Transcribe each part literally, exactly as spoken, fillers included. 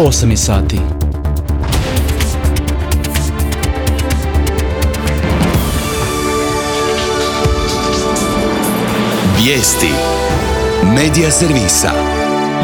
osam sati. Vijesti Medija servisa.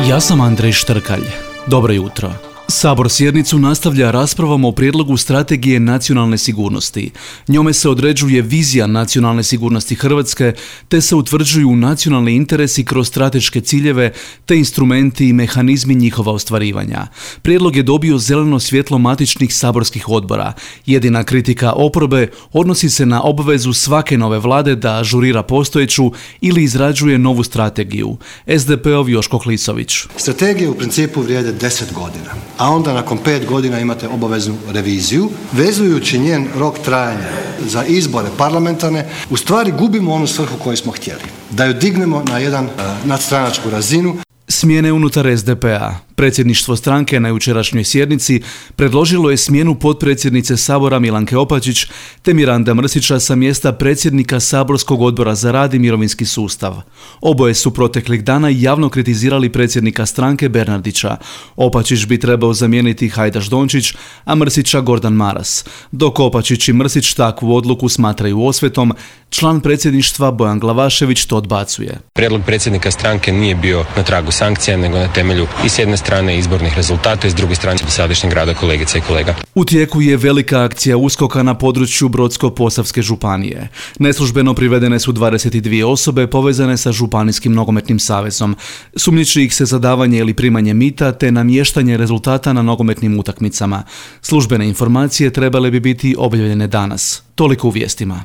Ja sam Andrej Štrkalj. Dobro jutro. Sabor sjednicu nastavlja raspravom o prijedlogu strategije nacionalne sigurnosti. Njome se određuje vizija nacionalne sigurnosti Hrvatske, te se utvrđuju nacionalni interesi kroz strateške ciljeve, te instrumenti i mehanizmi njihova ostvarivanja. Prijedlog je dobio zeleno svjetlo matičnih saborskih odbora. Jedina kritika oporbe odnosi se na obvezu svake nove vlade da ažurira postojeću ili izrađuje novu strategiju. es de pe-ov Joško Klisović. Strategije u principu vrijede deset godina. A onda nakon pet godina imate obaveznu reviziju. Vezujući njen rok trajanja za izbore parlamentarne, u stvari gubimo onu svrhu koju smo htjeli. Da ju dignemo na jedan uh, nadstranačku razinu. Smjene unutar es de pe-a. Predsjedništvo stranke na jučerašnjoj sjednici predložilo je smjenu potpredsjednice Sabora Milanke Opačić te Miranda Mrsića sa mjesta predsjednika Saborskog odbora za rad i mirovinski sustav. Oboje su proteklih dana javno kritizirali predsjednika stranke Bernardića. Opačić bi trebao zamijeniti Hajdaš Dončić, a Mrsića Gordan Maras. Dok Opačić i Mrsić takvu odluku smatraju osvetom, član predsjedništva Bojan Glavašević to odbacuje. Prijedlog predsjednika stranke nije bio na tragu sankcija, nego na temelju i s jedne strane izbornih rezultata i s druge strane dosadašnjeg rada kolegica i kolega. U tijeku je velika akcija uskoka na području Brodsko-posavske županije. Neslužbeno privedene su dvadeset dvije osobe povezane sa Županijskim nogometnim savezom. Sumnjiči ih se za davanje ili primanje mita te namještanje rezultata na nogometnim utakmicama. Službene informacije trebale bi biti objavljene danas. Toliko u vijestima.